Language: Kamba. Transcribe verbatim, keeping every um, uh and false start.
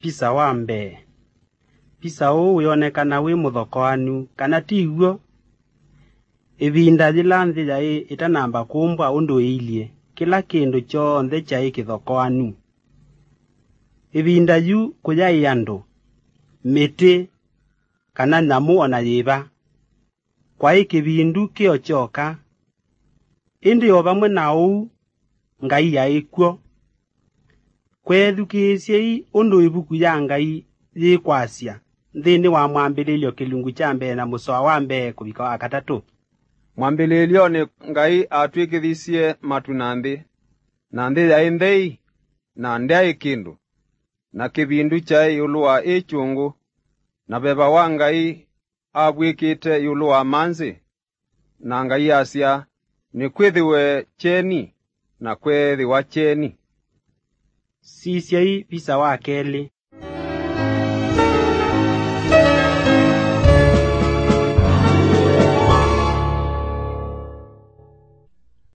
Pisa wa mbee. Pisa ũũ wĩonekana wĩ mũthokoanu, kana ti w'o? Ĩvinda yĩla nthĩ yaĩ ĩtanamba kũmbwa ũndũ ĩilyĩ, kĩla kĩndũ kyonthe kyaĩ kĩthokoanu. Ĩvinda yu kũyaĩ andũ, mĩtĩ, kana nyamũ o na yĩva. Kwaĩ kĩvindu kĩ o kyoka. Ĩndĩ o vamwe na ũu, Ngai aĩ kw'o. Kweethukĩĩsyei ũndũ ĩvuku ya Ngai yĩkwasya nthĩnĩ wa Mwambĩlĩlyo kĩlungu kya mbee na mũsoa wa mbee kũvika wa katatũ. Mwambĩlĩlyonĩ Ngai atw'ĩkĩthisye matu na nthĩ, na nthĩ yaĩ nthei, na ndyaĩ kĩndũ, na kĩvindu kyaĩ ĩũlũ wa ĩ kyũngũ, na veva wa Ngai avw'ĩkĩte ĩũlũ wa manzĩ, na Ngai asya, "Nĩkwĩthĩwe kyeni," na kweethĩwa kyeni. Sisyai visa wa kelĩ.